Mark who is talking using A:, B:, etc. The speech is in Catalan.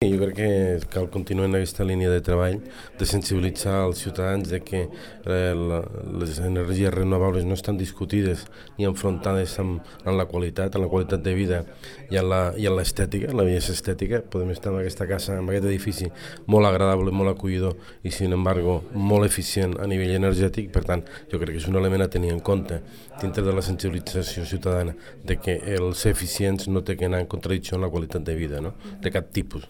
A: Jo crec que cal continuar en aquesta línia de treball de sensibilitzar els ciutadans de que les energies renovables no estan discutides ni enfrontades amb la qualitat de vida i en l'estètica, la bellesa estètica. Podem estar en aquesta casa, en aquest edifici molt agradable, molt acollidor i, sin embargo, molt eficient a nivell energètic. Per tant, jo crec que és un element a tenir en compte dintre de la sensibilització ciutadana de que el ser eficients no té que anar en contradicció amb la qualitat de vida, no? De cap tipus.